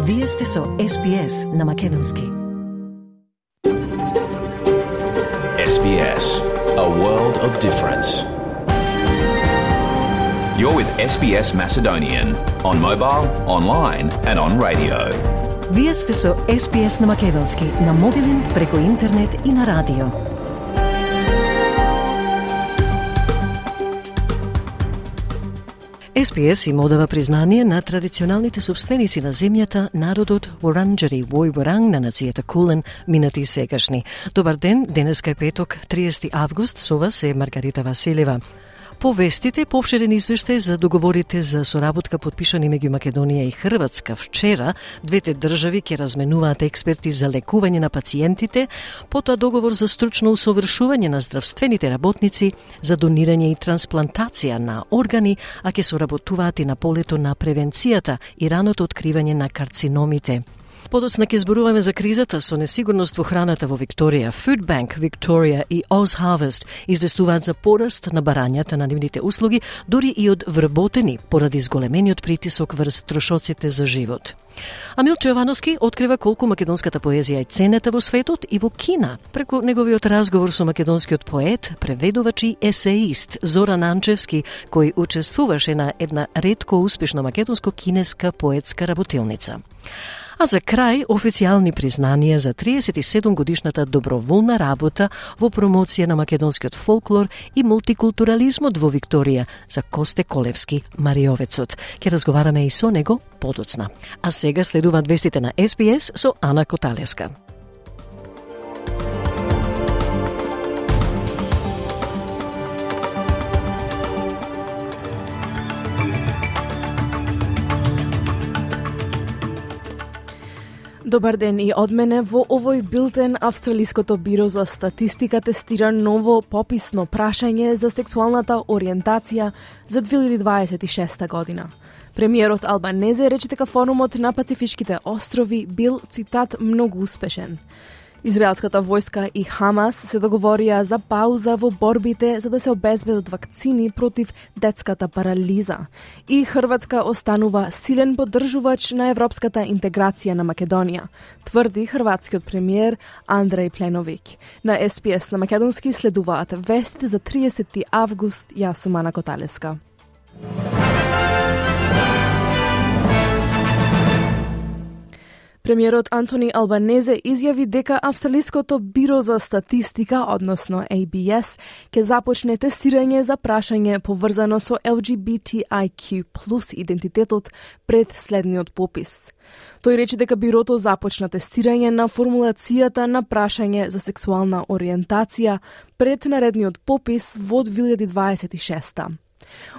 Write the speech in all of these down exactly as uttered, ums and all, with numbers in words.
Вие сте со Ес Би Ес на Македонски. Ес Би Ес, a world of difference. You're with Ес Би Ес Macedonian on mobile, online and on radio. Вие сте со Ес Би Ес на Македонски, на мобилен, преку интернет и на радио. Ес Би Ес им одава признание на традиционалните собственици на земјата, народот Воранџари Вој Воранг на нацијата Кулен, минати и сегашни. Добар ден, денеска е петок, триесети август, со вас е Маргарита Василева. По вестите, поопширен извештај за договорите за соработка подпишани меѓу Македонија и Хрватска вчера, двете држави ќе разменуваат експерти за лекување на пациентите, потоа договор за стручно усовршување на здравствените работници, за донирање и трансплантација на органи, а ќе соработуваат и на полето на превенцијата и раното откривање на карциномите. Подоцна ќе зборуваме за кризата со несигурност во храната во Викторија. Food Bank Victoria и Oz Harvest известуваат за пораст на барањата на нивните услуги, дури и од вработени, поради зголемениот притисок врз трошоците за живот. А Милчо Јовановски открива колку македонската поезија е ценета во светот и во Кина, преку неговиот разговор со македонскиот поет, преведувач и есеист Зоран Анчевски, кој учествуваше на една ретко успешна македонско-кинеска поетска работилница. А за крај, официјални признанија за триесет и седум годишната доброволна работа во промоција на македонскиот фолклор и мултикултурализмот во Викторија за Косте Колевски, Мариовецот. Ќе разговараме и со него подоцна. А сега следуваат вестите на Ес Би Ес со Ана Коталеска. Добар ден и од мене. Во овој билтен Австралиското биро за статистика тестира ново пописно прашање за сексуалната ориентација за две илјади дваесет и шеста година. Премиерот Албанезе рече дека форумот на Пацифичките острови бил, цитат, многу успешен. Израелската војска и Хамас се договорија за пауза во борбите за да се обезбедат вакцини против детската парализа. И Хрватска останува силен поддржувач на европската интеграција на Македонија, тврди хрватскиот премиер Андреј Пленовик. На Ес Би Ес на Македонски следуваат вестите за триесети август. Јас сум Ана Коталеска. Премиерот Антони Албанезе изјави дека Австралиското биро за статистика, односно Ей Би Ес, ќе започне тестирање за прашање поврзано со Ел Джи Би Ти Ај Кју плюс идентитетот пред следниот попис. Тој рече дека бирото започна тестирање на формулацијата на прашање за сексуална ориентација пред наредниот попис во две илјади дваесет и шеста.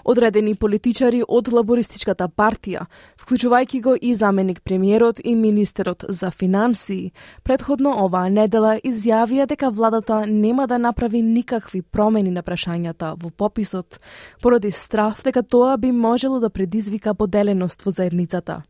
Одредени политичари од Лабористичката партија, вклучувајќи го и заменик премиерот и министерот за финансии, предходно оваа недела изјавија дека владата нема да направи никакви промени на прашањата во пописот, поради страф дека тоа би можело да предизвика поделеност во заедницата.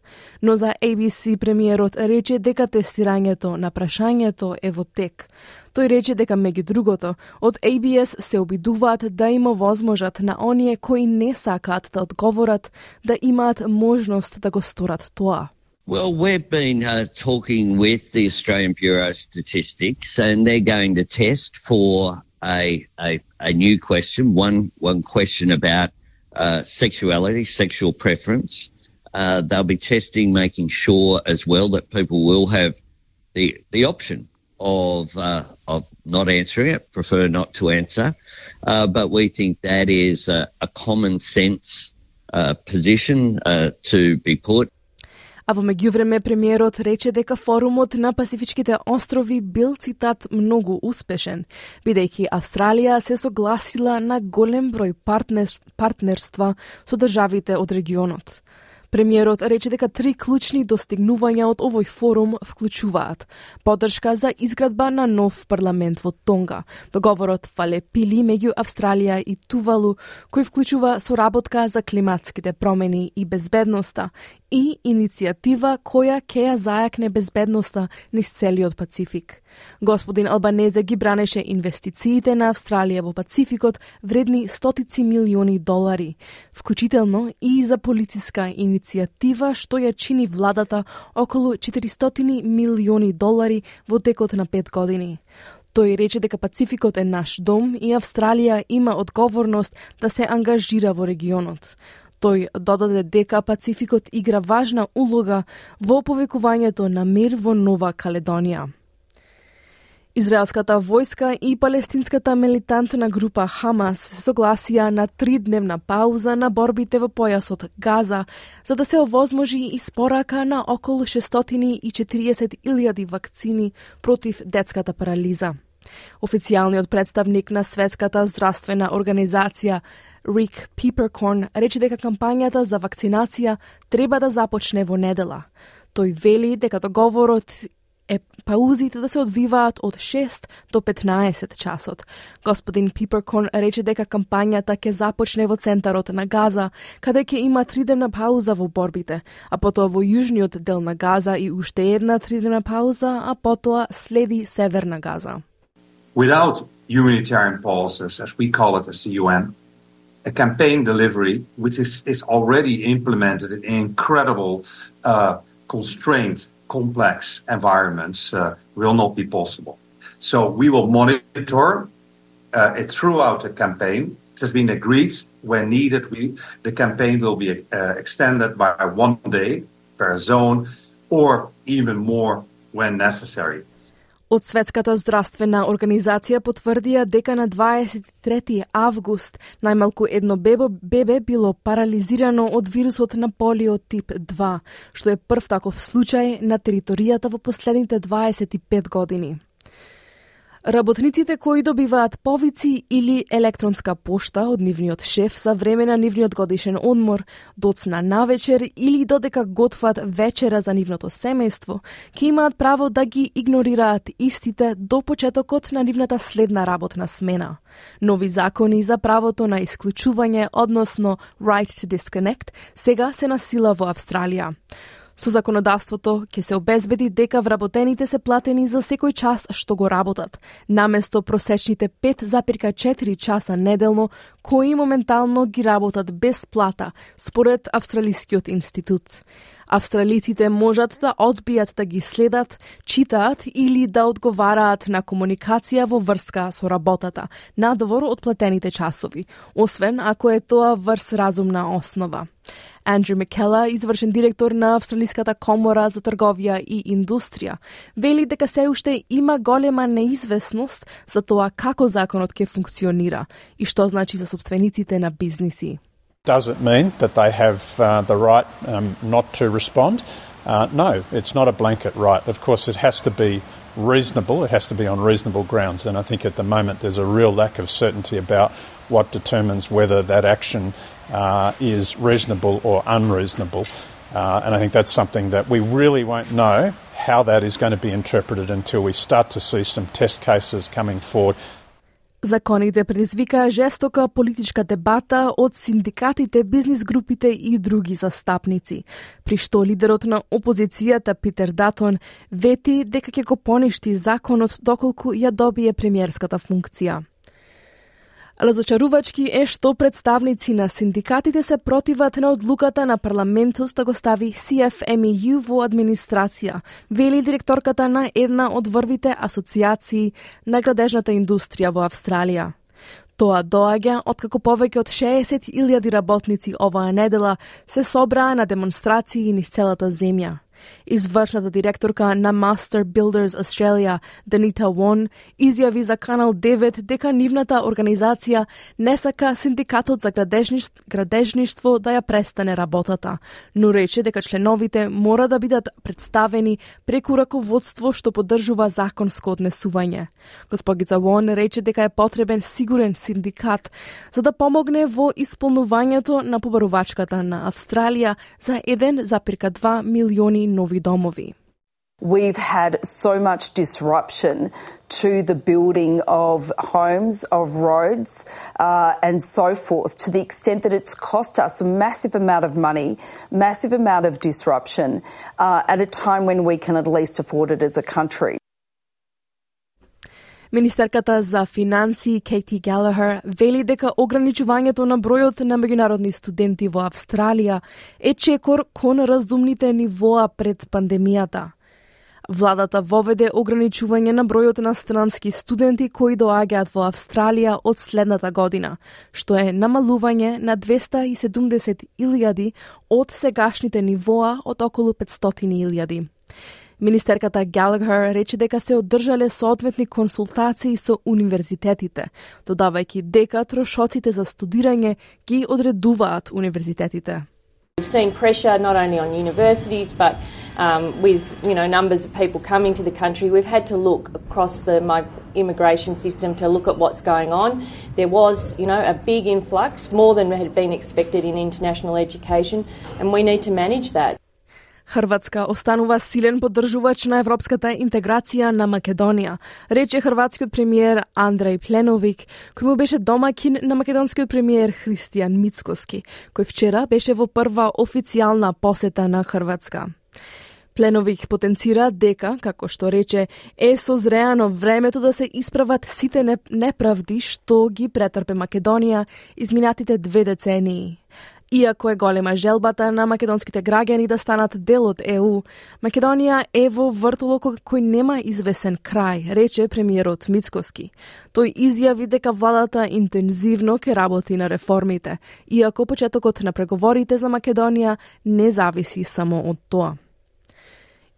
Но за Ей Би Си премиерот рече дека тестирањето на прашањето е во тек. Тој рече дека меѓу другото, од Ей Би Ес се обидуваат да им овозможат на оние кои не сакаат да одговорат, да имаат можност да го сторат тоа. Well, we've been uh, talking with the Australian Bureau of Statistics, and they're going to test for a a, a new question, one one question about uh, sexuality, sexual preference. Uh, they'll be testing, making sure as well that people will have the the option of uh, of not answering it, prefer not to answer, uh, but we think that is a, a common sense uh, position uh, to be put. А во меѓувреме премиерот рече дека форумот на Пасифичките острови бил, цитат, многу успешен, бидејќи Австралија се согласила на голем број партнерства со државите од регионот. Премиерот рече дека три клучни достигнувања од овој форум вклучуваат поддршка за изградба на нов парламент во Тонга, договорот Фалепили меѓу Австралија и Тувалу, кој вклучува соработка за климатските промени и безбедноста, и иницијатива која ќе ја зајакне безбедноста низ целиот Пацифик. Господин Албанезе ги бранеше инвестициите на Австралија во Пацификот вредни стотици милиони долари, вклучително и за полициска иницијатива иницијатива што ја чини владата околу четиристотини милиони долари во текот на пет години. Тој рече дека Пацификот е наш дом и Австралија има одговорност да се ангажира во регионот. Тој додаде дека Пацификот игра важна улога во повекувањето на мир во Нова Каледонија. Израелската војска и палестинската милитантна група Хамас се согласија на тридневна пауза на борбите во појасот Газа, за да се овозможи испорака на околу шестстотини и четириесет илјади вакцини против детската парализа. Официјалниот представник на Светската здравствена организација Рик Пиперкорн рече дека кампањата за вакцинација треба да започне во недела. Тој вели дека договорот е паузите да се одвиваат од шест до петнаесет часот. Господин Пиперкорн рече дека кампањата ќе започне во центарот на Газа, каде ќе има тридневна пауза во борбите, а потоа во јужниот дел на Газа и уште една тридневна пауза, а потоа следи Северна Газа. Without humanitarian pauses, as we call it as the U N, a campaign delivery, which is, is already implemented in incredible, uh, constrained, complex environments, uh, will not be possible. So we will monitor uh, it throughout the campaign. It has been agreed when needed. We, the campaign will be uh, extended by one day per zone or even more when necessary. Од Светската здравствена организација потврдија дека на дваесет и трети август најмалку едно бебе, бебе било парализирано од вирусот на полио тип два, што е прв таков случај на територијата во последните дваесет и пет години. Работниците кои добиваат повици или електронска пошта од нивниот шеф за време на нивниот годишен одмор, доцна навечер или додека готват вечера за нивното семејство, ќе имаат право да ги игнорираат истите до почетокот на нивната следна работна смена. Нови закони за правото на исклучување, односно right to disconnect, сега се на сила во Австралија. Со законодавството ќе се обезбеди дека вработените се платени за секој час што го работат, наместо просечните пет запирка четири часа неделно, кои моментално ги работат без плата, според Австралискиот институт. Австралиците можат да одбијат да ги следат, читаат или да одговараат на комуникација во врска со работата, надвор од платените часови, освен ако е тоа врз разумна основа. Андрю Маккела, извршен директор на Австралиската комора за трговија и индустрија, вели дека се уште има голема неизвестност за тоа како законот ќе функционира и што значи за собствениците на бизниси. Does it mean that they have uh, the right um, not to respond? Uh, no, it's not a blanket right. Of course, it has to be reasonable. It has to be on reasonable grounds. And I think at the moment there's a real lack of certainty about what determines whether that action uh, is reasonable or unreasonable. Uh, and I think that's something that we really won't know how that is going to be interpreted until we start to see some test cases coming forward. Законите предизвикаа жестока политичка дебата од синдикатите, бизнис групите и други застапници, при што лидерот на опозицијата Питер Датон вети дека ќе го поништи законот доколку ја добие премиерската функција. Разочарувачки е што представници на синдикатите се противат на одлуката на парламентот да го стави Си Еф Ем И Ју во администрација, вели директорката на една од врвите асоциации на градежната индустрија во Австралија. Тоа доаѓа откако повеќе од шеесет илјади работници оваа недела се собраа на демонстрации низ целата земја. Извршната директорка на Master Builders Australia, Данита Вон, изјави за Канал девет дека нивната организација не сака синдикатот за градежништво, градежништво да ја престане работата, но рече дека членовите мора да бидат представени преку раководство што поддржува законско однесување. Госпогица Вон рече дека е потребен сигурен синдикат за да помогне во исполнувањето на побарувачката на Австралија за еден запирка два милиони нови домови. We've had so much disruption to the building of homes, of roads, uh, and so forth, to the extent that it's cost us a massive amount of money, massive amount of disruption, uh, at a time when we can at least afford it as a country. Министерката за финансии Кейти Галахер вели дека ограничувањето на бројот на меѓународни студенти во Австралија е чекор кон разумните нивоа пред пандемијата. Владата воведе ограничување на бројот на странски студенти кои доаѓаат во Австралија од следната година, што е намалување на двеста и седумдесет илјади од сегашните нивоа од околу петстотини илјади. Министерката Галахер рече дека се одржале соодветни консултации со универзитетите, додавајќи дека трошоците за студирање ги одредуваат универзитетите. We've seen pressure not only on universities but um, with you know numbers of people coming to the country. We've had to look across the immigration system to look at what's going on. There was you know a big influx, more than had been expected in international education, and we need to manage that. Хрватска останува силен поддржувач на европската интеграција на Македонија, рече хрватскиот премиер Андреј Пленовик, кој му беше домакин на македонскиот премиер Христијан Мицкоски, кој вчера беше во прва официјална посета на Хрватска. Пленовик потенцира дека, како што рече, е созреано времето да се исправат сите неправди што ги претрпе Македонија изминатите две децении. Иако е голема желбата на македонските граѓани да станат дел од Е У, Македонија е во вртолок кој нема извесен крај, рече премиерот Мицкоски. Тој изјави дека владата интензивно ке работи на реформите, иако почетокот на преговорите за Македонија не зависи само од тоа.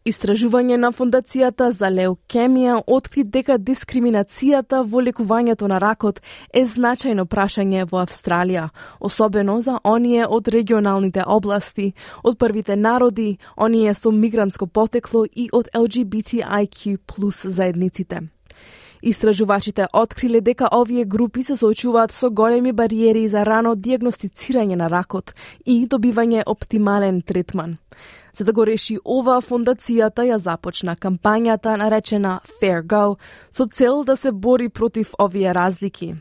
Истражување на Фондацијата за леукемија откри дека дискриминацијата во лекувањето на ракот е значајно прашање во Австралија, особено за оние од регионалните области, од првите народи, оние со мигрантско потекло и од Ел Джи Би Ти Ај Кју плюс заедниците. Истражувачите откриле дека овие групи се соочуваат со големи бариери за рано дијагностицирање на ракот и добивање оптимален третман. За да го реши ова, фондацијата ја започна кампањата наречена Fair Go со цел да се бори против овие разлики.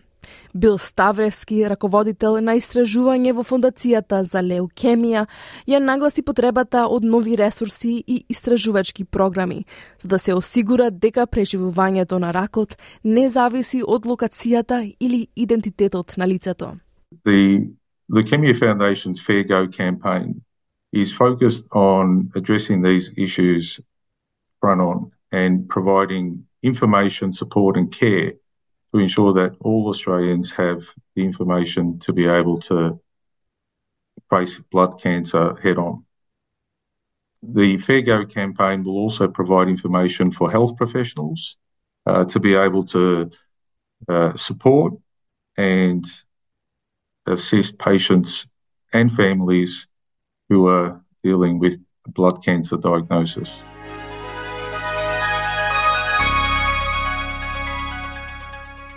Бил Ставревски, раководител на истражување во Фондацијата за леукемија, ја нагласи потребата од нови ресурси и истражувачки програми, за да се осигура дека преживувањето на ракот не зависи од локацијата или идентитетот на лицето. The Leukemia Foundation's Fair Go campaign is focused on addressing these issues front on and providing information, support and care to ensure that all Australians have the information to be able to face blood cancer head on. The Fair Go campaign will also provide information for health professionals uh, to be able to uh, support and assist patients and families who are dealing with blood cancer diagnosis.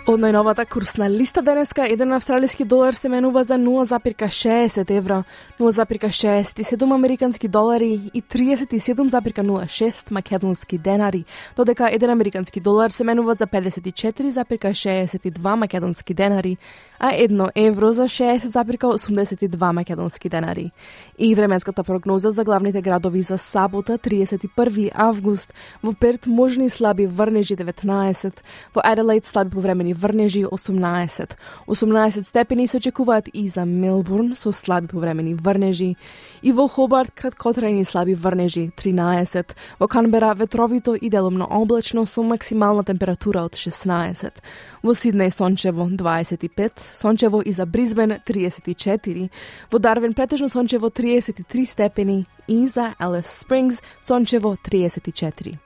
Од најновата курсна листа денеска, еден австралиски долар се менува за нула запирка шеесет евра, нула запирка шеесет и седум американски долари и триесет и седум запирка нула шест македонски денари, додека еден американски долар се менува за педесет и четири запирка шеесет и два македонски денари, а едно евро за шеесет запирка осумдесет и два македонски денари. И временската прогноза за главните градови за сабота, триесет и први август, во Перт можни слаби врнежи деветнаесет, во Аделаид слаби повремени врнежи осумнаесет. осумнаесет степени се очекуваат и за Мелбурн со слаби повремени врнежи, и во Хобарт краткотрајни слаби врнежи тринаесет, во Канбера ветровито и делумно облачно со максимална температура од шеснаесет, во Сиднеј сончево дваесет и пет, сончево и за Бризбен триесет и четири, во Дарвин претежно сончево триесет и три степени и за Елис Спрингс сончево триесет и четири.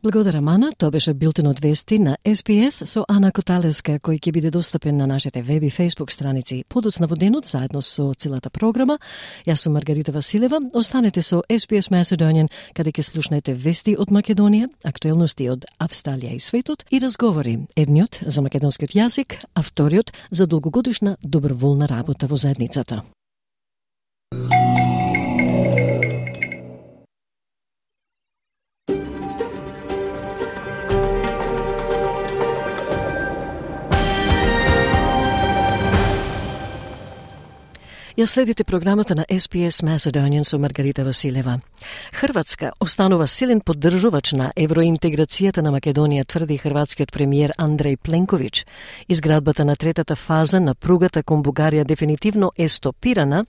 Благодарам, Ана. Тоа беше билтенот вести на Ес Би Ес со Ана Коталеска, кој ќе биде достапен на нашите веб и фейсбук страници подоцна во денот, заедно со целата програма. Јас сум Маргарита Василева. Останете со Ес Би Ес Macedonian, каде ќе слушнете вести од Македонија, актуелности од Австралија и светот и разговори. Едниот за македонскиот јазик, а вториот за долгогодишна доброволна работа во заедницата. Ја следите програмата на Ес Би Ес Macedonian со Маргарита Василева. Хрватска останува силен поддржувач на евроинтеграцијата на Македонија, тврди хрватскиот премиер Андреј Пленковиќ. Изградбата на третата фаза на пругата кон Бугарија дефинитивно е стопирана.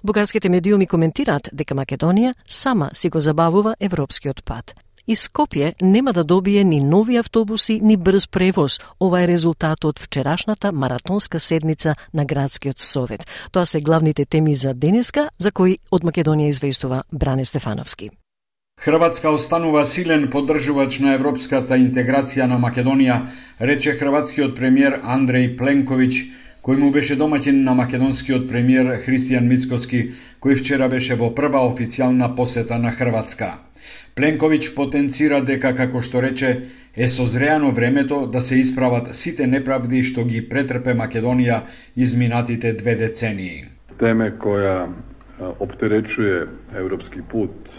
Бугарските медиуми коментираат дека Македонија сама си го забавува европскиот пат. И Скопје нема да добие ни нови автобуси, ни брз превоз. Ова е резултат од вчерашната маратонска седница на Градскиот совет. Тоа се главните теми за денеска, за кои од Македонија известува Бране Стефановски. Хрватска останува силен поддржувач на европската интеграција на Македонија, рече хрватскиот премиер Андреј Пленковиќ, кој му беше домаќин на македонскиот премиер Христијан Мицкоски, кој вчера беше во прва официјална посета на Хрватска. Пленковиќ потенцира дека, како што рече, е созреано времето да се исправат сите неправди што ги претрпе Македонија изминатите две децении. Теме која оптеречуе европски пут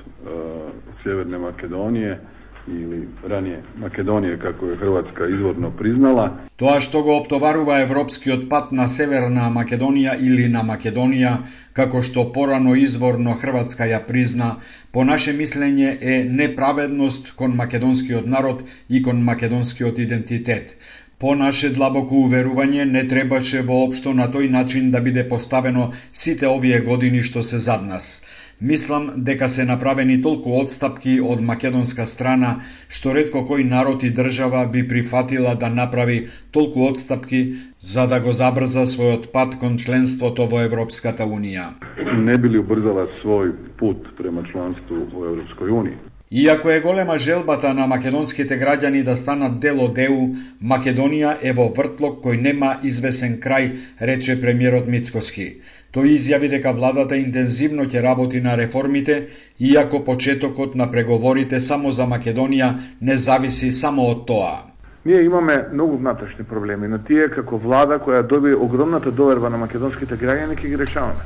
Северне Македонije или ранije Македонија, како е Хрватска изворно признала. Тоа што го оптоварува европскиот пат на Северна Македонија или на Македонија, како што порано изворно Хрватска ја призна, по наше мислење е неправедност кон македонскиот народ и кон македонскиот идентитет. По наше длабоко уверување не требаше воопшто на тој начин да биде поставено сите овие години што се зад нас. Мислам дека се направени толку одстапки од македонска страна, што ретко кој народ и држава би прифатила да направи толку одстапки за да го забрза својот пат кон членството во Европската Унија. Не били убрзала свој пут према членство во Европској Унија. Иако е голема желбата на македонските граѓани да станат дел од Е У, Македонија е во вртлок кој нема извесен крај, рече премиерот Мицкоски. Тој изјави дека владата интензивно ќе работи на реформите, иако почетокот на преговорите само за Македонија не зависи само од тоа. Ние имаме многу внатрешни проблеми, но тие како влада која доби огромната доверба на македонските граѓани ќе ги решаваме.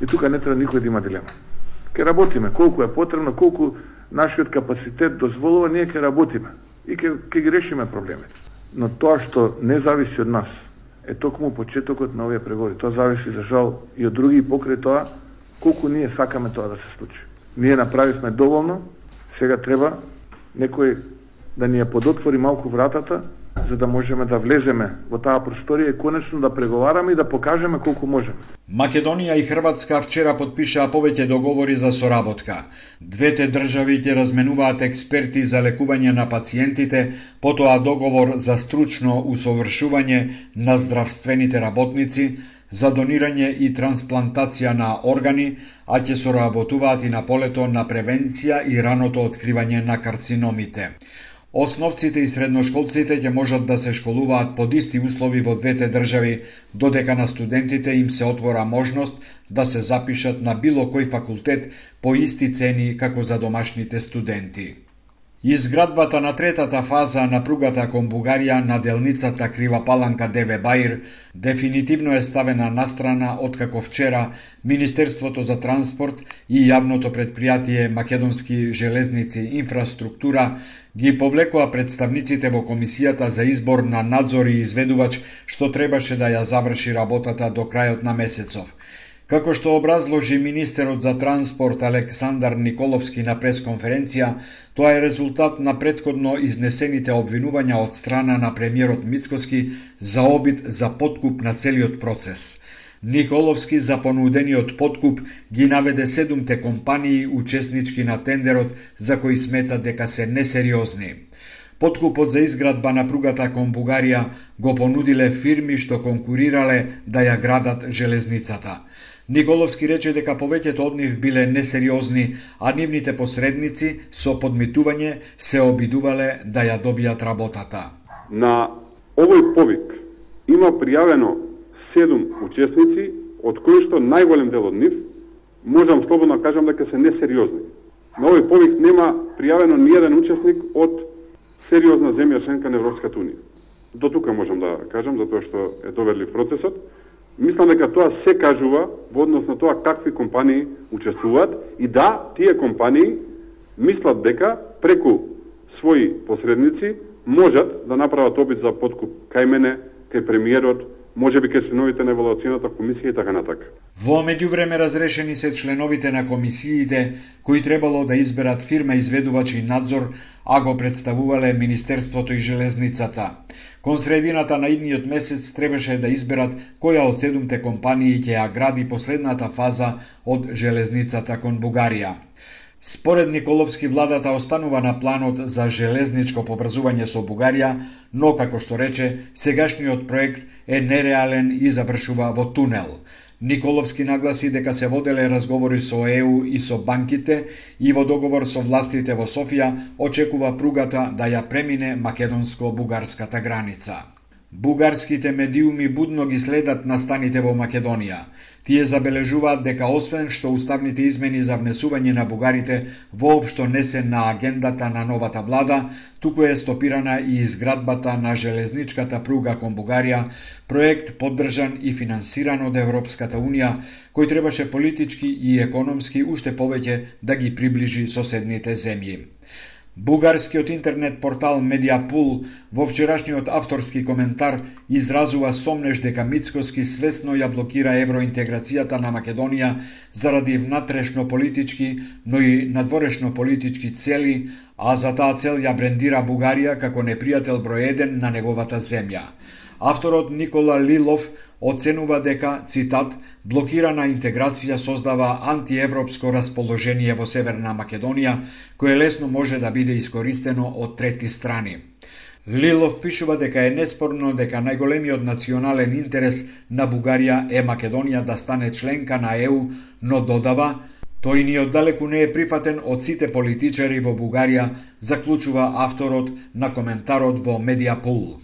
И тука не треба никој да има дилема. Ќе работиме колку е потребно, колку нашиот капацитет дозволува, ние ќе работиме и ќе ќе ги решиме проблемите. Но тоа што не зависи од нас е токму почетокот на овие преговори. Тоа зависи за жал и од други, и покрај тоа колку ние сакаме тоа да се случи. Ние направивме доволно, сега треба некој да ни ја подотвори малку вратата, за да можеме да влеземе во таа просторија и конечно да преговараме и да покажеме колку можеме. Македонија и Хрватска вчера подпишаа повеќе договори за соработка. Двете држави ќе разменуваат експерти за лекување на пациентите, потоа договор за стручно усовршување на здравствените работници, за донирање и трансплантација на органи, а ќе соработуваат и на полето на превенција и раното откривање на карциномите. Основците и средношколците ќе можат да се школуваат под исти услови во двете држави, додека на студентите им се отвора можност да се запишат на било кој факултет по исти цени како за домашните студенти. Изградбата на третата фаза на пругата кон Бугарија на делницата Крива Паланка Деве Баир дефинитивно е ставена настрана откако вчера Министерството за транспорт и јавното предпријатие Македонски железници инфраструктура ги повлекоа представниците во комисијата за избор на надзор и изведувач што требаше да ја заврши работата до крајот на месецов. Како што образложи министерот за транспорт Александар Николовски на пресконференција, тоа е резултат на претходно изнесените обвинувања од страна на премиерот Мицкоски за обид за подкуп на целиот процес. Николовски за понудениот подкуп ги наведе седумте компании учеснички на тендерот за кои смета дека се несериозни. Подкупот за изградба на пругата кон Бугарија го понудиле фирми што конкурирале да ја градат железницата. Николовски рече дека повеќето од нив биле несериозни, а нивните посредници со подмитување се обидувале да ја добијат работата. На овој повик има пријавено седум учесници, од кои што најголем дел од нив, можам слободно да кажам дека се несериозни. На овој повик нема пријавено ниеден учесник од сериозна земја членка на Европската Унија. До тука можам да кажам, затоа што е доверлив процесот. Мислам дека тоа се кажува во однос на тоа какви компании учествуваат и да, тие компании мислат дека преку своји посредници можат да направат обид за подкуп кај мене, кај премиерот може би кај членовите на евалуацијната комисија и така натака. Во меѓувреме разрешени се членовите на комисиите кои требало да изберат фирма изведувач и надзор, а го представувале Министерството и Железницата. Кон средината на идниот месец требаше да изберат која од седумте компании ќе ја гради последната фаза од железницата кон Бугарија. Според Николовски, владата останува на планот за железничко поврзување со Бугарија, но, како што рече, сегашниот проект е нереален и завршува во тунел. Николовски нагласи дека се воделе разговори со Е У и со банките и во договор со властите во Софија очекува пругата да ја премине македонско-бугарската граница. Бугарските медиуми будно ги следат настаните во Македонија. Тие забележуваат дека освен што уставните измени за внесување на бугарите воопшто не се на агендата на новата влада, туку е стопирана и изградбата на железничката пруга кон Бугарија, проект поддржан и финансиран од Европската Унија, кој требаше политички и економски уште повеќе да ги приближи соседните земји. Бугарскиот интернет портал Медиапул во вчерашниот авторски коментар изразува сомнеж дека Мицкоски свесно ја блокира евроинтеграцијата на Македонија заради внатрешно политички, но и надворешно политички цели, а за таа цел ја брендира Бугарија како непријател број еден на неговата земја. Авторот Никола Лилов оценува дека, цитат, блокирана интеграција создава антиевропско расположение во Северна Македонија, кое лесно може да биде искористено од трети страни. Лилов пишува дека е неспорно дека најголемиот национален интерес на Бугарија е Македонија да стане членка на Е У, но додава, тој ни оддалеку не е прифатен од сите политичари во Бугарија, заклучува авторот на коментарот во Медиапул.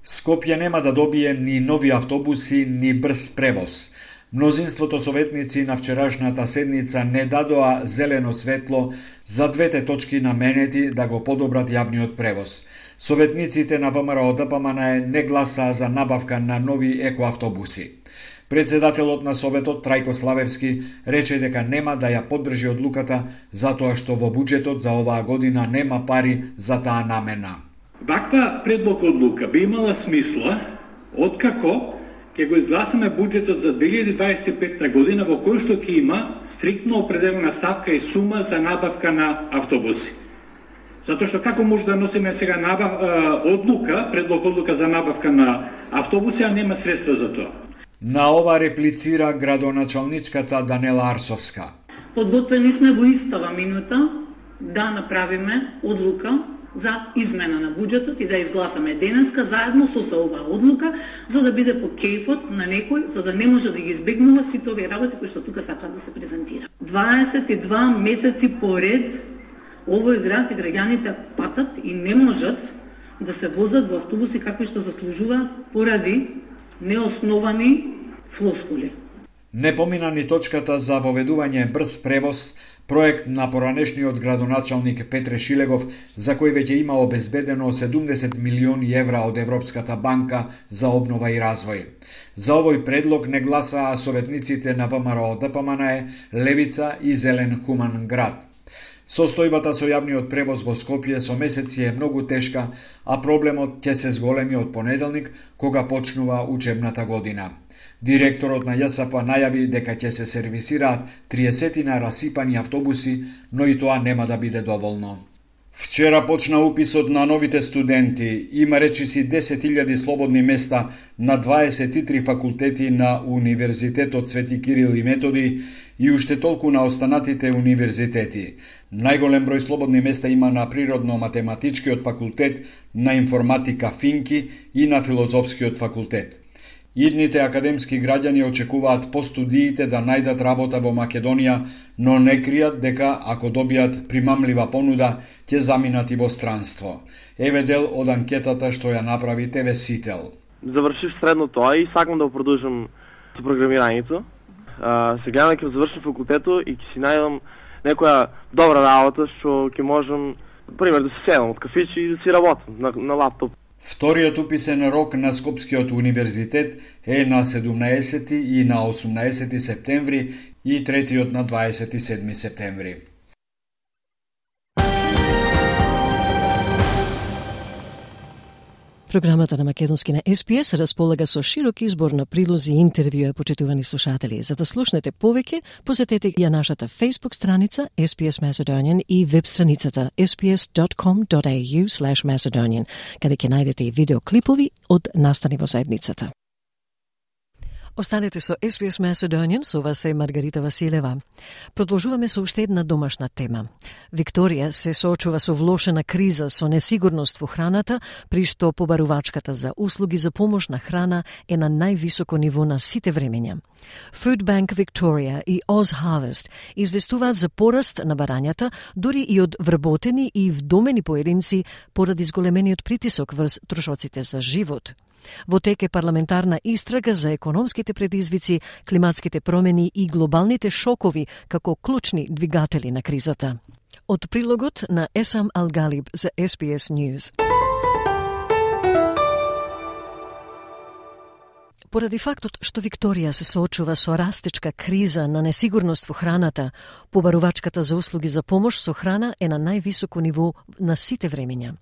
Скопје нема да добие ни нови автобуси, ни брз превоз. Мнозинството советници на вчерашната седница не дадоа зелено светло за двете точки наменети да го подобрат јавниот превоз. Советниците на Вэ Ем Ар О Д П М Н не гласаа за набавка на нови екоавтобуси. Председателот на Советот Трајко Славевски рече дека нема да ја поддржи одлуката затоа што во буџетот за оваа година нема пари за таа намена. Ваква предлог одлука би имала смисла откако ќе го изгласаме буџетот за две илјади дваесет и петта година во кој што ќе има стриктно определена ставка и сума за набавка на автобуси. Затоа што како може да носиме сега набав, одлука, предлог одлука за набавка на автобуси, а нема средства за тоа. На ова реплицира градоначалничката Данела Арсовска. Подготвени сме во истава минута да направиме одлука за измена на буџетот и да изгласаме денеска заедно со оваа одлука, за да биде по кејфот на некој, за да не може да ги избегнува сите овие работи кои што тука сакаат да се презентира. дваесет и два месеци поред овој град и граѓаните патат и не можат да се возат во автобуси какви што заслужуваат поради неосновани флоскули. Не помина ни точката за воведување брз превоз, проект на поранешниот градоначалник Петре Шилегов, за кој веќе има обезбедено седумдесет милиони евра од Европската банка за обнова и развој. За овој предлог не гласаа советниците на Вэ Ем Ар О Д П М Н, Левица и Зелен хуман град. Состојбата со јавниот превоз во Скопје со месеци е многу тешка, а проблемот ќе се зголеми од понеделник, кога почнува учебната година. Директорот на Ја С Ф најави дека ќе се сервисираат триесетина расипани автобуси, но и тоа нема да биде доволно. Вчера почна уписот на новите студенти. Има речиси десет илјади слободни места на дваесет и три факултети на Универзитетот Свети Кирил и Методи и уште толку на останатите универзитети. Најголем број слободни места има на Природно-математичкиот факултет, на Информатика Финки и на Филозофскиот факултет. Идните академски граѓани очекуваат по студиите да најдат работа во Македонија, но не кријат дека ако добијат примамлива понуда, ќе заминат и во странство. Еве дел од анкетата што ја направи Те Ве Сител. Завршив средното, а и сакам да продолжам со програмирањето. А, сега ќе завршам факултето и ќе си најдам некоја добра работа што ќе можам, пример, да се седам од кафиче и да си работам на, на лаптоп. Вториот уписен рок на Скопскиот универзитет е на седумнаесети и на осумнаесети септември и третиот на дваесет и седми септември. Програмата на македонски на Ес Би Ес располага со широк избор на прилози и интервјуа, почитувани слушатели. За да слушнете повеќе, посетете ја нашата Facebook страница Ес Би Ес Macedonian и веб страницата ес би ес dot com dot a u slash macedonian, каде ќе најдете и видеоклипови од настани во заедницата. Останете со Ес Би Ес Macedonian, со вас е Маргарита Василева. Продолжуваме со уште една домашна тема. Викторија се соочува со влошена криза со несигурност во храната, при што побарувачката за услуги за помош на храна е на највисоко ниво на сите времења. Food Bank Victoria и Oz Harvest известуваат за пораст на барањата, дури и од вработени и вдомени поединци поради зголемениот притисок врз трошоците за живот. Во тек е парламентарна истрага за економските предизвици, климатските промени и глобалните шокови како клучни двигатели на кризата. Од прилогот на Есам Алгалиб за Ес Би Ес News. Поради фактот што Викторија се соочува со растечка криза на несигурност во храната, побарувачката за услуги за помош со храна е на највисоко ниво на сите времења.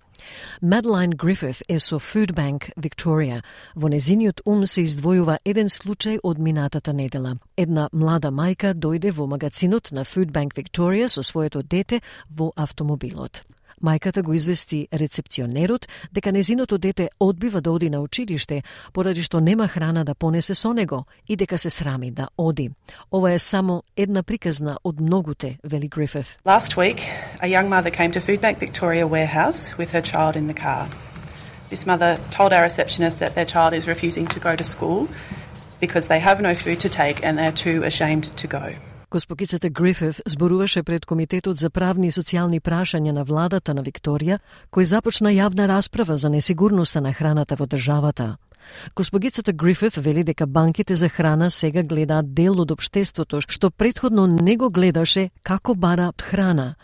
Madeline Griffith е со Food Bank Victoria. Во незиниот ум се издвојува еден случај од минатата недела. Една млада мајка дојде во магазинот на Food Bank Victoria со своето дете во автомобилот. Мајката го извести рецепционерот дека незиното дете одбива да оди на училиште, поради што нема храна да понесе со него и дека се срами да оди. Ова е само една приказна од многуте, вели Грифит. Last week, a young mother came to Food Bank Victoria warehouse with her child in the car. This mother told our receptionist that their child is refusing to go to school because they have no food to take and they're too ashamed to go. Госпогицата Грифит зборуваше пред Комитетот за правни и социјални прашања на владата на Викторија, кој започна јавна расправа за несигурноста на храната во државата. Госпогицата Грифит вели дека банките за храна сега гледаат дел од општеството што претходно не го гледаше како бара храна.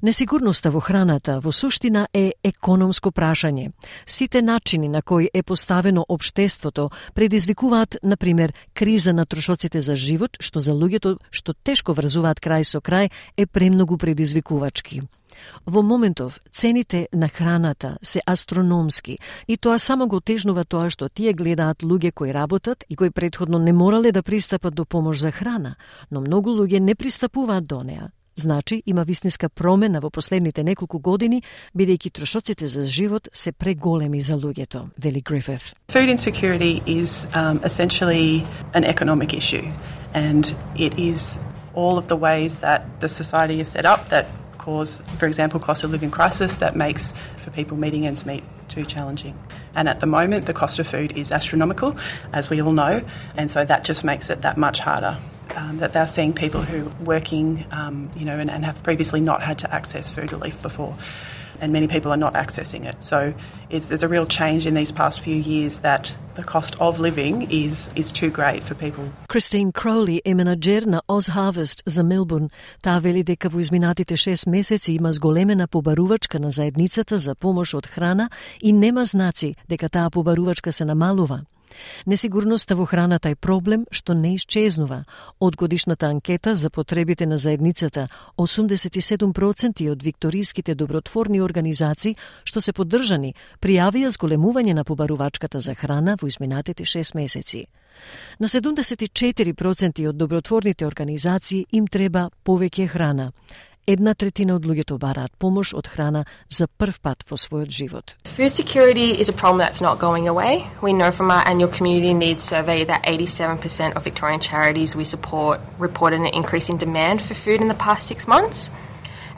Несигурноста во храната во суштина е економско прашање. Сите начини на кои е поставено општеството предизвикуваат, на пример, криза на трошоците за живот, што за луѓето што тешко врзуваат крај со крај е премногу предизвикувачки. Во моментов цените на храната се астрономски и тоа само го тежнува тоа што тие гледаат луѓе кои работат и кои претходно не морале да пристапат до помош за храна, но многу луѓе не пристапуваат до неа. Значи, има вистинска промена во последните неколку години, бидејќи трошоците за живот се преголеми за луѓето, вели Грифит. Food insecurity is um, essentially an economic issue, and it is all of the ways that the society is set up that cause, for example, cost of living crisis that makes for people meeting ends meet too challenging. And at the moment, the cost of food is astronomical, as we all know, and so that just makes it that much harder. Um, that they're seeing people who are working, um, you know, and, and have previously not had to access food relief before. And many people are not accessing it. So it's, there's a real change in these past few years that the cost of living is is too great for people. Christine Crowley е менаџер на Oz Harvest за Мелбурн. Таа вели дека во изминатите шест месеци има зголемена побарувачка на заедницата за помош од храна и нема знаци дека таа побарувачка се намалува. Несигурноста во храната е проблем што не исчезнува. Од годишната анкета за потребите на заедницата, осумдесет и седум проценти од викториските добротворни организации што се поддржани пријавија зголемување на побарувачката за храна во изминатите шест месеци. На седумдесет и четири проценти од добротворните организации им треба повеќе храна. Една третина од луѓето бараат помош од храна за прв пат во својот живот. Food security is a problem that's not going away. We know from our annual community needs survey that eighty-seven percent of Victorian charities we support reported an increase in demand for food in the past six months.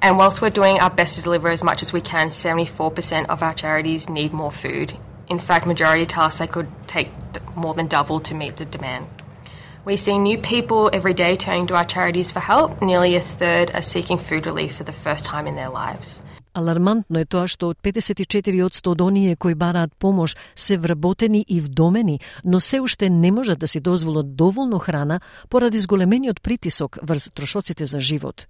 And whilst we're doing our best to deliver as much as we can, seventy-four percent of our charities need more food. In fact, majority tell us they could take more than double to meet the demand. We see new people every day turning to our charities for help. Nearly a third are seeking food relief for the first time in their lives. Алармантно е тоа што од педесет и четири одсто од оние кои бараат помош се вработени и вдомени, но се уште не можат да си дозволат доволно храна поради зголемениот притисок врз трошоците за живот.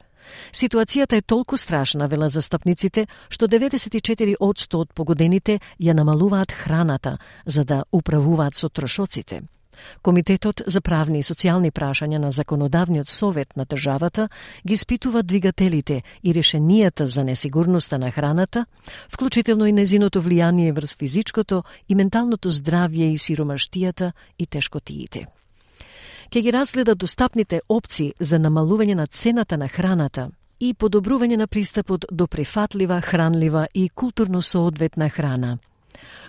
Ситуацијата е толку страшна, велат застапниците, што деветдесет и четири одсто од погодените ја намалуваат храната за да управуваат со трошоците. Комитетот за правни и социјални прашања на Законодавниот совет на државата ги испитува двигателите и решенијата за несигурноста на храната, вклучително и незиното влијание врз физичкото и менталното здравје и сиромаштијата и тешкотиите. Ке ги разгледа достапните опции за намалување на цената на храната и подобрување на пристапот до прифатлива, хранлива и културно соодветна храна.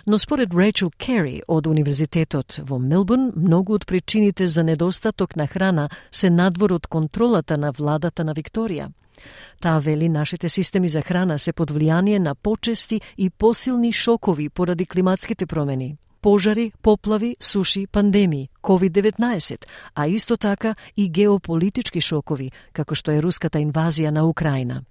Но според Рейчел Кери од Универзитетот во Мелбурн, многу од причините за недостаток на храна се надвор од контролата на владата на Викторија. Таа вели нашите системи за храна се под влијание на почести и посилни шокови поради климатските промени. Пожари, поплави, суши, пандемии, ковид деветнаесет, а исто така и геополитички шокови, како што е руската инвазија на Украина.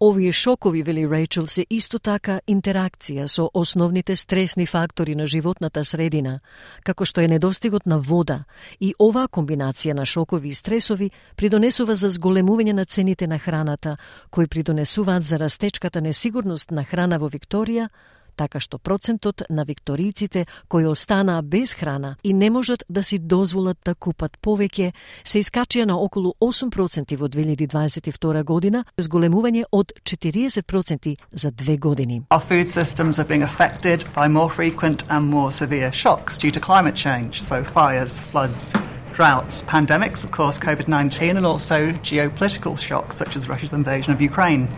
Овие шокови, вели Рейчел, се исто така интеракција со основните стресни фактори на животната средина, како што е недостигот на вода, и оваа комбинација на шокови и стресови придонесува за зголемување на цените на храната, кои придонесуваат за растечката несигурност на храна во Викторија, така што процентот на викторијците кои останаа без храна и не можат да си дозволат да купат повеќе, се искачија на околу осум проценти во две илјади дваесет и втора година, зголемување од четириесет проценти за две години. Our food systems are being affected by more frequent and more severe shocks due to climate change, so fires, floods, droughts, pandemics, of course, COVID nineteen, and also geopolitical shocks such as Russia's invasion of Ukraine.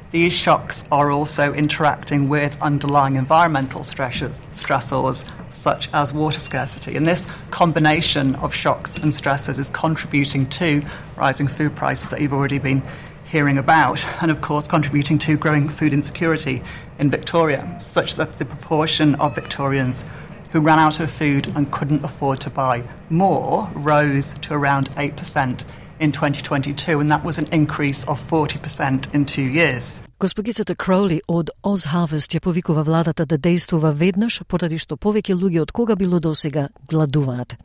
These shocks are also interacting with underlying environmental stressors, stressors such as water scarcity. And this combination of shocks and stressors is contributing to rising food prices that you've already been hearing about, and of course contributing to growing food insecurity in Victoria, such that the proportion of Victorians who ran out of food and couldn't afford to buy more rose to around eight percent in twenty twenty-two, and that was an increase of forty percent in two years. Госпогицата Кроули од OzHarvest ја повикува владата да действува веднаш, поради што повеќе луѓе од кога било досега гладуваат.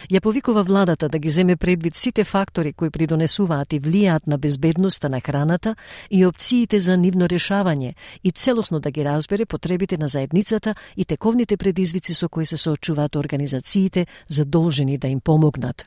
Ја повикува владата да ги земе предвид сите фактори кои придонесуваат и влијаат на безбедноста на храната и опциите за нивно решавање и целосно да ги разбере потребите на заедницата и тековните предизвици со кои се соочуваат организациите задолжени да им помогнат.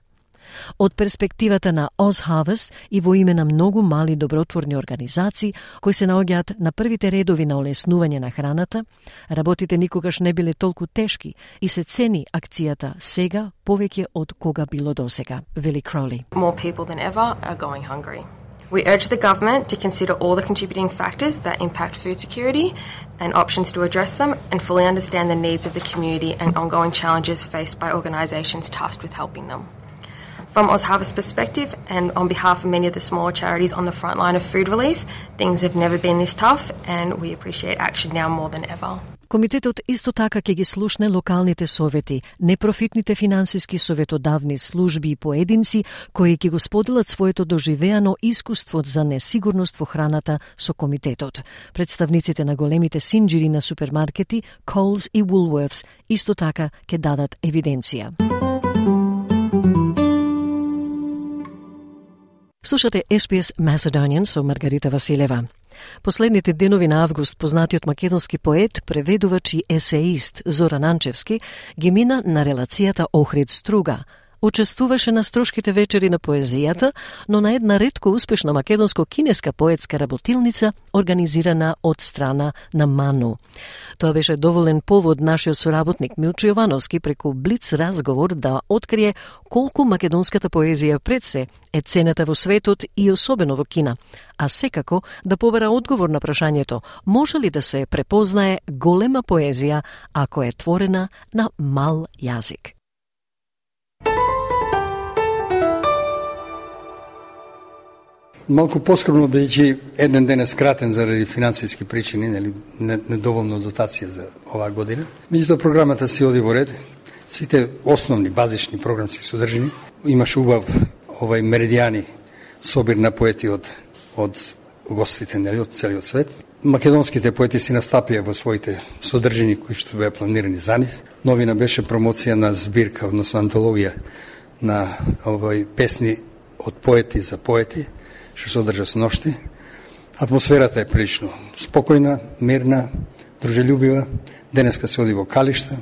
Од перспективата на OzHarvest и во име на многу мали добротворни организации кои се наоѓаат на првите редови на олеснување на храната, работите никогаш не биле толку тешки и се цени акцијата сега повеќе од кога било досега, вели Кроули. More people than ever are going hungry. We urge the government to consider all the contributing factors that impact food security and options to address them, and fully understand the needs of the community and ongoing challenges faced by organisations tasked with helping them. From OzHarvest's perspective, and on behalf of many of the smaller charities on the front line of food relief, things have never been this tough, and we appreciate action now more than ever. Комитетот исто така ќе ги слушне локалните совети, непрофитните финансиски советодавни служби и поединци кои ќе го споделат своето доживеано искуство за несигурност во храната со комитетот. Представниците на големите синџири на супермаркети, Coles и Woolworths, исто така ќе дадат евиденција. Слушате Ес Би Ес Macedonian со Маргарита Василева. Последните денови на август познатиот македонски поет, преведувач и есеист Зоран Анчевски ги мина на релацијата Охрид Струга. Учествуваше на Струшките вечери на поезијата, но на една ретко успешна македонско-кинеска поетска работилница организирана од страна на МАНУ. Тоа беше доволен повод нашиот соработник Милчо Јовановски преку блиц разговор да открие колку македонската поезија пред се е цената во светот и особено во Кина, а секако да побара одговор на прашањето може ли да се препознае голема поезија ако е творена на мал јазик. Малку поскромно, бидејќи еден ден е скратен заради финансиски причини, нели недоволно дотација за оваа година. Меѓутоа програмата си оди во ред. Сите основни базични програмски содржини. Имаше убав овај меридијани собир на поети од од гостите, нели, од целиот свет. Македонските поети си настапија во своите содржини кои што беа планирани за нив. Новина беше промоција на збирка, односно антологија на овој песни од поети за поети, што се одржа со ношти. Атмосферата е прилично спокојна, мирна, дружелюбива. Денеска се оди во Калишта,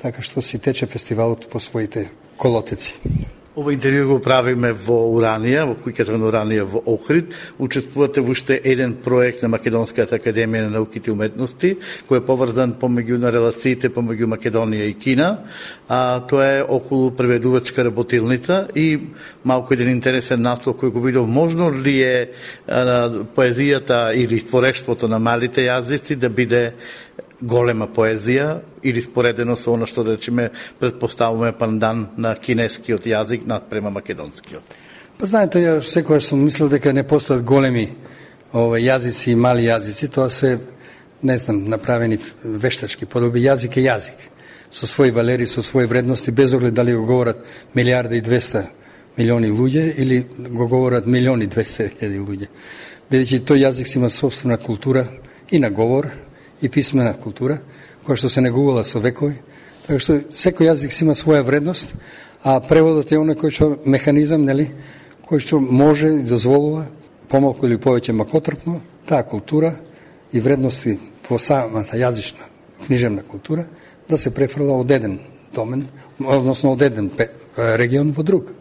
така што си тече фестивалот по своите колотеци. Ова интервју го правиме во Уранија, во куќата на Уранија во Охрид. Учествувате во уште еден проект на Македонската академија на науките и уметности, кој е поврзан помеѓу на релациите помеѓу Македонија и Кина. А тоа е околу преведувачка работилница и малку еден интересен наслов кој го видов. Можно ли е а, поезијата или творештвото на малите јазици да биде голема поезија или споредено со она што да речеме предпоставуваме пандан на кинескиот јазик надпрема македонскиот? Па знаете, ја секогаш сум мислел дека не постојат големи ова јазици и мали јазици, тоа се, не знам, направени вештачки подоби. Јазик е јазик, со своји валери, со своји вредности, без оглед дали го говорат милиарда и двеста милиони луѓе или го говорат милиони и двеста илјади луѓе. Бидејќи тој јазик си има собствена култура и на говор, и писмена култура, која што се негувала со векови, така што секој јазик си има своја вредност, а преводот е оној кој што механизам, нели, кој што може и дозволува помалку или повеќе макотрпно таа култура и вредности во самата јазична книжевна култура да се префрла од еден домен, односно од еден регион во друг.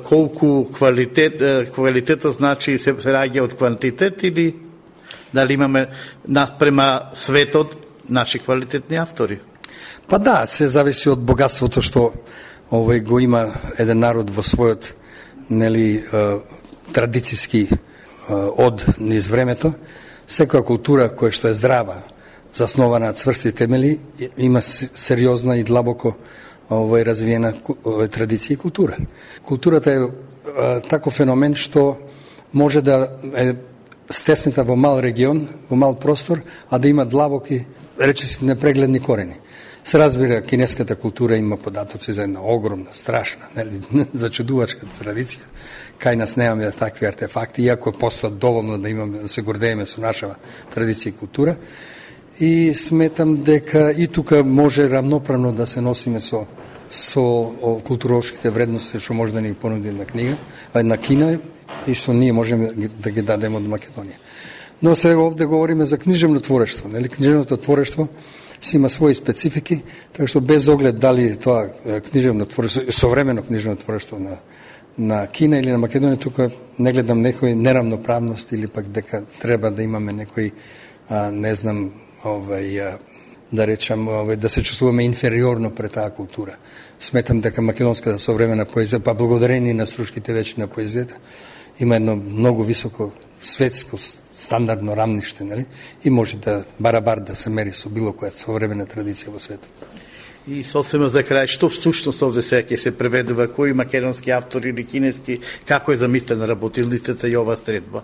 Колку квалитет, квалитетот значи се раѓа од квантитет или дали имаме наспрема светот наши квалитетни автори? Па да, се зависи од богатството што овој го има еден народ во својот, нели, традициски од низ времето. Секоја култура која што е здрава, заснована на цврсти темели, има сериозна и длабоко овој развиена овој традиција и култура. Културата е таков феномен што може да е стесната во мал регион, во мал простор, а да има длабоки, речиси, непрегледни корени. Се разбира, кинеската култура има податоци за една огромна, страшна, нели, зачудувачка традиција. Кај нас немаме такви артефакти, иако постојат доволно да имаме, да се гордееме со нашава традиција и култура. И сметам дека и тука може рамноправно да се носиме со со културовските вредности што може да ни понуди една книга, една Кина, и што ние можеме да ги дадеме од Македонија. Но сега овде говориме за книжевно творештво. Нели? Книжевното творештво си има своји специфики, така што без оглед дали тоа книжевно творештво, современо книжевно творештво на, на Кина или на Македонија, тука не гледам некој неравноправност или пак дека треба да имаме некој, а, не знам, овај, а, да речам, овај, да се чувствуваме инфериорно пред таа култура. Сметам дека македонската современа поезија, па благодарение на стручките вечи на поезијата, има едно многу високо светско стандардно рамниште, нели? И може да барабар да се мери со било која современа традиција во светот. И сосема за крај, што всушност овде сега ќе се преведува, кои македонски автори или кинески, како е замислена работилницата и ова средба?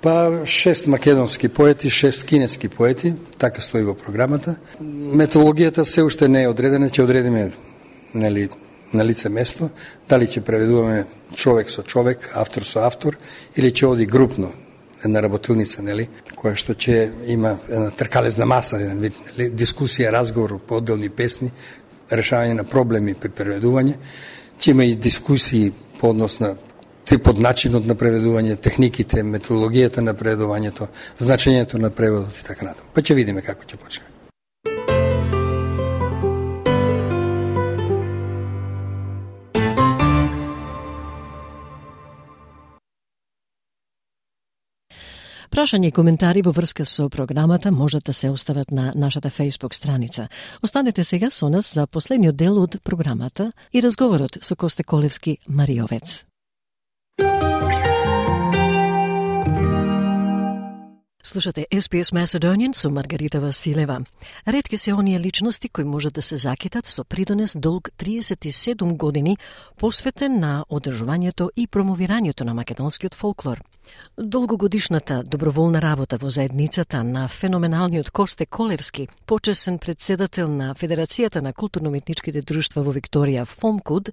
Па шест македонски поети, шест кинески поети, така стои во програмата. Методологијата се уште не е одредена, ќе одредиме, нели, на лице место, дали ќе преведуваме човек со човек, автор со автор, или ќе оди групно, една работилница, нели, која што ќе има една тркалезна маса, еден вид, нели, дискусија, разговор по одделни песни, решавање на проблеми при преведување, ќе има и дискусии по однос на типот, начинот на преведување, техниките, методологијата на преведувањето, значењето на преводот и така натаму. Па ќе видиме како ќе почне. Прашања и коментари во врска со програмата можат да се остават на нашата Facebook страница. Останете сега со нас за последниот дел од програмата и разговорот со Косте Колевски Мариовец. Слушате Ес Би Ес Macedonian со Маргарита Василева. Ретки се оние личности кои можат да се закитат со придонес долг триесет и седум години посветен на одржувањето и промовирањето на македонскиот фолклор. Долгогодишната доброволна работа во заедницата на феноменалниот Косте Колевски, почесен председател на Федерацијата на културно-уметничките друштва во Викторија ФОМКУД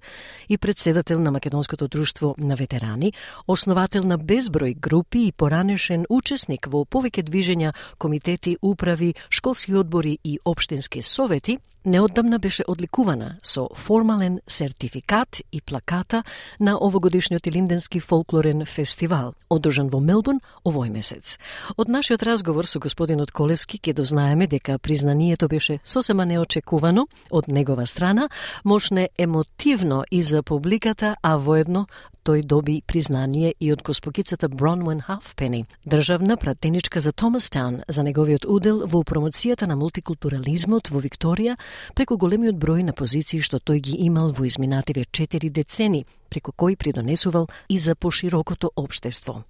и председател на Македонското друштво на ветерани, основател на безброј групи и поранешен учесник во повеќе движења, комитети, управи, школски одбори и општински совети, неодамна беше одликувана со формален сертификат и плаката на овогодишниот Илинденски фолклорен фестивал, одржан во Мелбурн овој месец. Од нашиот разговор со господинот Колевски ќе дознаеме дека признанието беше сосема неочекувано од негова страна, мощне емотивно и за публиката, а воедно тој доби признание и од госпогицата Бронвен Халфпени, државна пратеничка за Томастаун, за неговиот удел во промоцијата на мултикултурализмот во Викторија преку големиот број на позиции што тој ги имал во изминативе четири децени, преку кои придонесувал и за поширокото општество.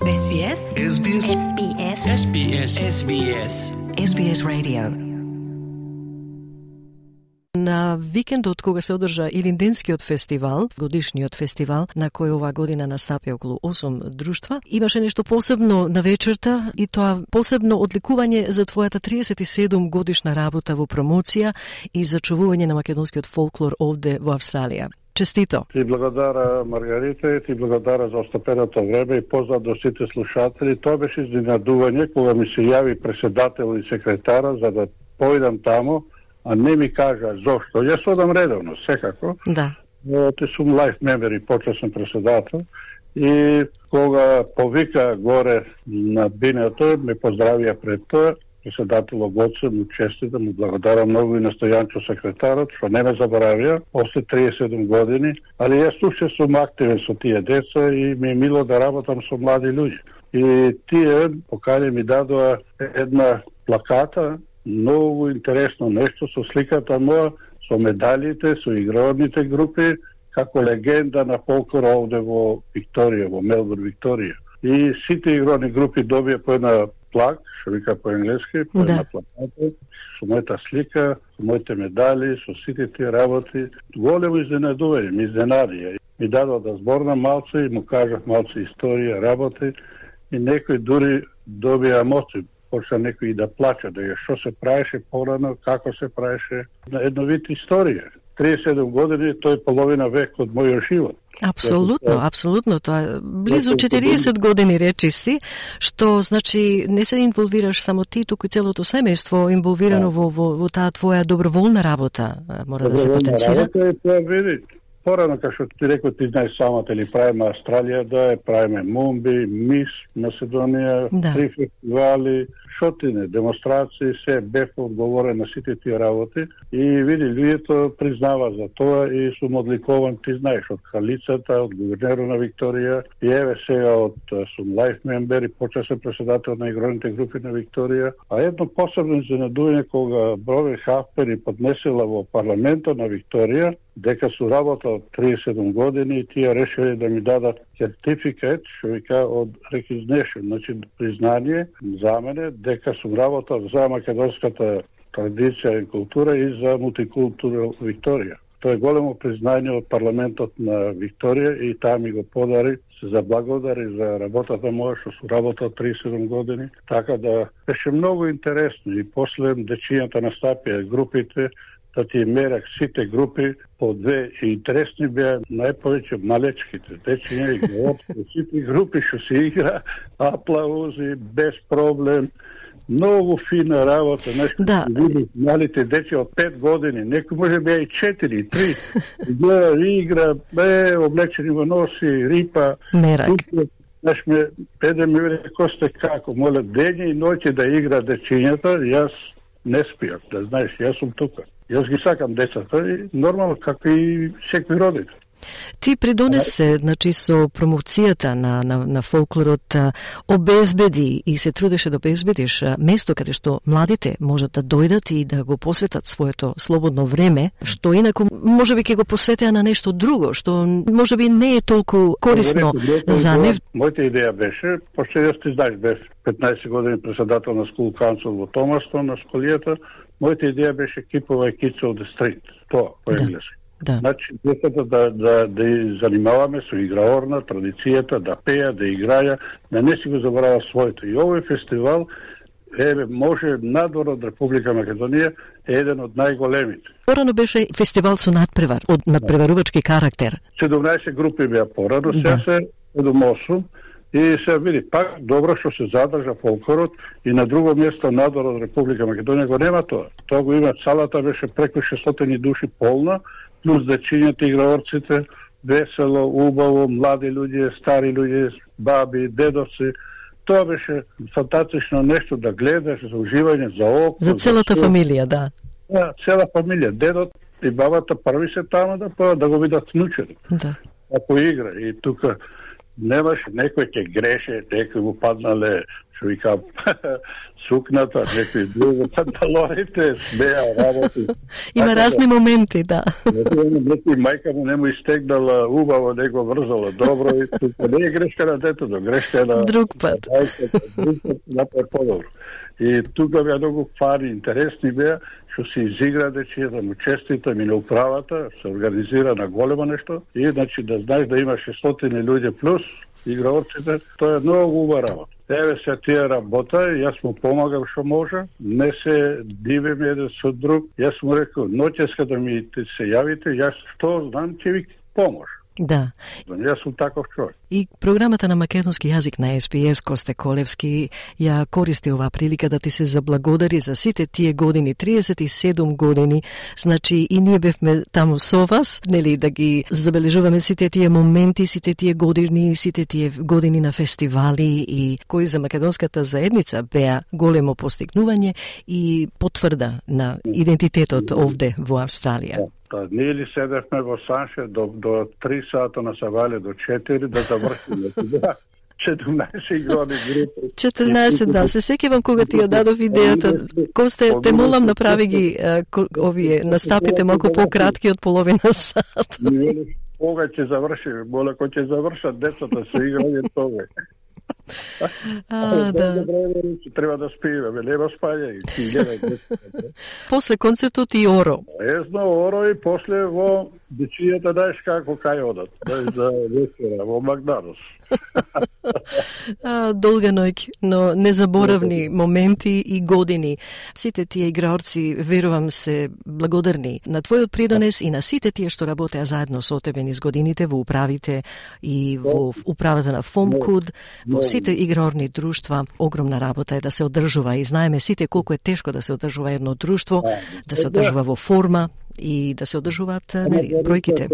Ес Би Ес Ес Би Ес Ес Би Ес Ес Би Ес Ес Би Ес Ес Би Ес Radio. На викендот кога се одржа Илинденскиот фестивал, годишниот фестивал на кој оваа година настапи околу осум друштва, имаше нешто посебно на вечерта и тоа посебно одликување за твојата триесет и седум годишна работа во промоција и зачувување на македонскиот фолклор овде во Австралија. Честито. Ти благодара, Маргарита, и ти благодара за остапеното време и поздрав до сите слушатели. Тоа беше изненадување кога ми се јави преседател и секретара за да појдам тамо, а не ми кажа зошто. Јас одам редовно, секако. Да. Те сум лайф мембер и почесен преседател. И кога повика горе на бинето, ме поздравија пред тоа, преседателот Гоце, му честита, му благодарам многу и на Стојанчо секретарот, што не ме заборавија, после триесет и седум години, али јас уште сум активен со тие деца и ми е мило да работам со млади луѓе. И тие покани ми дадоа една плаката, многу интересно нешто со сликата моја, со медалите, со игрорните групи, како легенда на фолклор овде во Викторија, во Мелбурн, Викторија. И сите игрорни групи добија по една плак, што вика по енглески, по една плаката, со мојата слика, со моите медали, со сите тие работи. Големо изненадување, ми изненадија. Ми дадоа да зборнам малце и му кажав малце историја, работи, и некој дури добија емоции. Почна некој и да плача, да ја што се правеше порано, како се правеше, на едно вид историја. триесет и седум години, тој половина век од мојот живот. Апсолутно, апсолутно, тоа близу четириесет години речи си, што значи не се инволвираш само ти, туку и целото семејство инволвирано во, во, во таа твоја доброволна работа, мора да се потенцира. Порано, како што ти рекол, ти знаеш самата, или правиме Австралија, да правиме Мумби, Мис, Македонија, да. Три фестивали, шотине, демонстрации, се бев одговорен на сите тие работи и види, луѓето признава за тоа и сум одликован, ти знаеш, од кралицата, од гувернерот на Викторија и еве сега од сум лайф мембер и почесен преседател на игрорните групи на Викторија. А едно посебно изненадување кога Бронвен Халфпени поднесела во парламентот на Викторија дека су работа од триесет и седум години и тие решили да ми дадат сертификат, што вика од recognition, значи признание за мене дека сум работал за македонската традиција и култура и за мултикултура Викторија. Тоа е големо признание од парламентот на Викторија и таа ми го подари, се заблагодари за работата моја што сум работал триесет и седум години. Така да беше многу интересно и после дечињата настапија групите, да ти мерак сите групи по две и интересни беа најповеќе малечките дечиња и геопски сите групи што се игра, аплаузи, без проблем, многу фина работа, нешто да. Види малите дечи од пет години, некој може беа и четири, три, гледа игра, бе, облечени во носи, рипа, мерак. Знаеш ме, педе ми вели, косте како, моле, дења и ноќе да игра дечињата, јас не спијам, да знаеш, јас сум тука. Јас ги сакам децата и нормално како и секој родител. Ти придонесе, значи, со промоцијата на, на, на фолклорот, обезбеди и се трудеше да обезбедиш место каде што младите можат да дојдат и да го посветат своето слободно време, што инаку можеби ќе го посветеа на нешто друго, што можеби не е толку корисно за нив. Мојата идеја беше, пошто јас ти знаеш, бев петнаесет години председател на School Council во Томастон, на школијата, мојата идеја беше Keep Away Kids on the Street, тоа по енглески. Да. Значи, децата да, да, да и занимаваме со играорна, традицијата, да пеја, да играја, да не си го заборава своето. И овој фестивал, еве, може надвор од Република Македонија, е еден од најголемите. Порано беше фестивал со надпревар, од надпреварувачки карактер. седумнаесет групи беа порано, сега се седум осум, И се види, пак добро што се задржа фолклорот и на друго место надвор од Република Македонија го нема тоа. Тоа го има, салата беше преку шестстотини души полна, плюс дечињата, играорците, весело, убаво, млади луѓе, стари луѓе, баби, дедовци. Тоа беше фантастично нешто да гледаш, за уживање, за око. За целата за фамилија, да. Да, цела фамилија. Дедот и бабата први се таму да па да го видат внучето. Да. Ако игра и тука немаше, некој ќе греше, некој му паднале, што вика, сукната, некој друго, панталоните, смеа, работи. Има разни моменти, да. Некој мајка му не му истегнала убаво, не го врзала добро и тука не е грешка на детето, грешка е на... Друг пат. Друг пат, направи по-добро. И тука беа многу фари, интересни беа, што се изигра дечијата, му честита ми на управата, се организира на големо нешто и значи да знаеш да има шестстотини луѓе плюс играорците, тоа е многу убава работа. Еве се тие работа, јас му помагам што може, не се дивиме еден со друг. Јас му рекол, ноќеска да ми се јавите, јас што знам ќе ви помош. Да. Јас сум таков човек. И програмата на македонски јазик на Ес Би Ес Косте Колевски ја користи оваа прилика да ти се заблагодари за сите тие години, триесет и седум години. Значи и ние бевме таму со вас, нели, да ги забележуваме сите тие моменти, сите тие години, сите тие години на фестивали и кои за македонската заедница беа големо постигнување и потврда на идентитетот овде во Австралија. Та, ние ли седевме во Санше до, до три сата на Савале, до четири, да завршиме. четрнаесет години групи. четрнаесет, да. Се сеќавам кога ти ја дадов идејата. Косте, те молам, направи ги а, ко, овие настапите малку пократки од половина сат. Кога ќе завршиме? Моле, кога ќе завршат децата со играње тоа. А, да. Треба да спиеме, нема спање. После концертот и Оро. Езно, Оро и после во дечијата, знаеш како кај одат. За вечера, во Макдоналдс. Долга ноќ, но незаборавни моменти и години. Сите тие играорци, верувам, се благодарни на твојот придонес и на сите тие што работеа заедно со тебе низ годините во управите и во управата на ФОМКУД, во сите играорни друштва. Огромна работа е да се одржува и знаеме сите колку е тешко да се одржува едно друштво, да се одржува во форма и да се одржуваат нели бројките.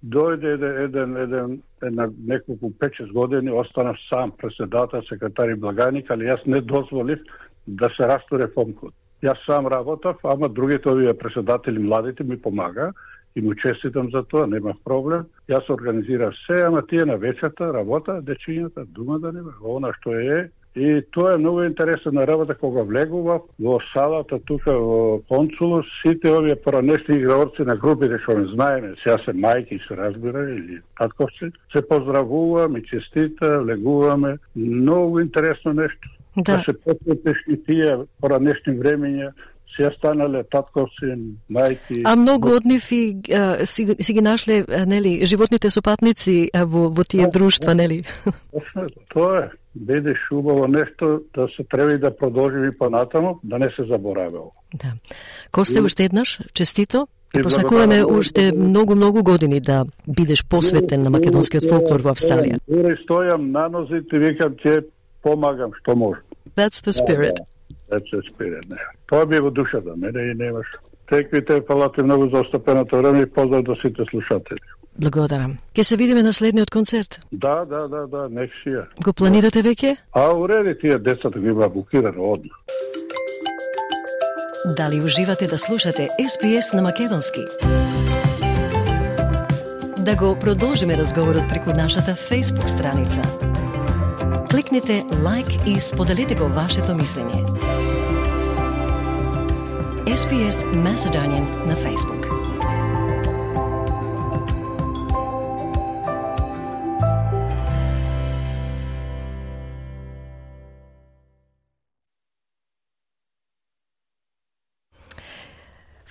Дојде еден, еден, еден, една неколку пет-шест години, останав сам председател, секретар и благаник, али јас не дозволив да се растуре ФОМКУД. Јас сам работав, ама другите овие председатели, младите, ми помага и му честитам за тоа, немав проблем. Јас организирав се, ама тие на вечерта работа, дечињата, дума да нема, она што е. И тоа е многу интересна работа кога влегува во салата тука во консулус, сите овие поранешни играорци на групите што не знаеме, сега се мајки се разбира или татковци, се поздравува, ми честита, влегуваме, многу интересно нешто. Да, да се посветиш и тие поранешни времења, се станале татковци, мајки. А многу од нив и а, си, си ги нашле, нели, животните сопатници а, во, во тие друштва, нели? Точно, тоа е. Бидеш убаво нешто да се треба и да продолжи и понатаму, да не се заборавило. Да. Косте, уште еднаш, честито. И посакуваме уште многу-многу години да бидеш посветен на македонскиот фолклор во Австралија. Дури стојам на нозите и викам ќе помагам што можам. That's the spirit. That's the spirit, не. Тоа би во душата, мене и немаш. Теквите, фалате многу за остапеното време и поздрав до сите слушатели. Благодарам. Ке се видиме на следниот концерт? Да, да, да, да, нексија. Го планирате веќе? А, уреди, тие децата ги има букирано одма. Дали уживате да слушате Ес Би Ес на македонски? Да го продолжиме разговорот преку нашата Facebook страница. Кликнете лайк и споделете го вашето мислење. Ес Би Ес Macedonian на Facebook.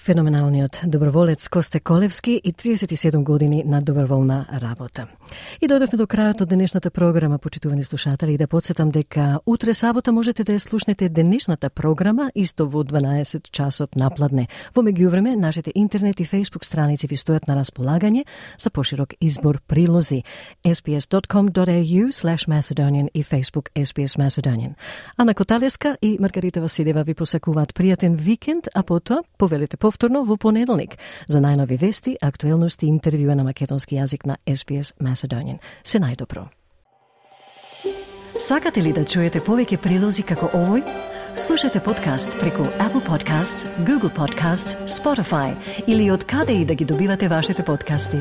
Феноменалниот доброволец Косте Колевски и триесет и седум години на доброволна работа. И дојдовме до крајот од денешната програма, почитувани слушатели, и да подсетам дека утре сабота можете да ја слушнете денешната програма исто во дванаесет часот напладне. Во меѓувреме, нашите интернет и фейсбук страници ви стојат на располагање за поширок избор прилози sbs.com.au slash Macedonian и Facebook S B S Macedonian. Ана Коталеска и Маргарита Василева ви посакуваат пријатен викенд, а потоа повелете повторно во понеделник за најнови вести, актуелности и интервјуа на македонски јазик на S B S Macedonian. Се најдобро. Сакате ли да чуете повеќе прилози како овој? Слушате подкаст преку Apple Podcasts, Google Podcasts, Spotify или од каде и да ги добивате вашите подкасти.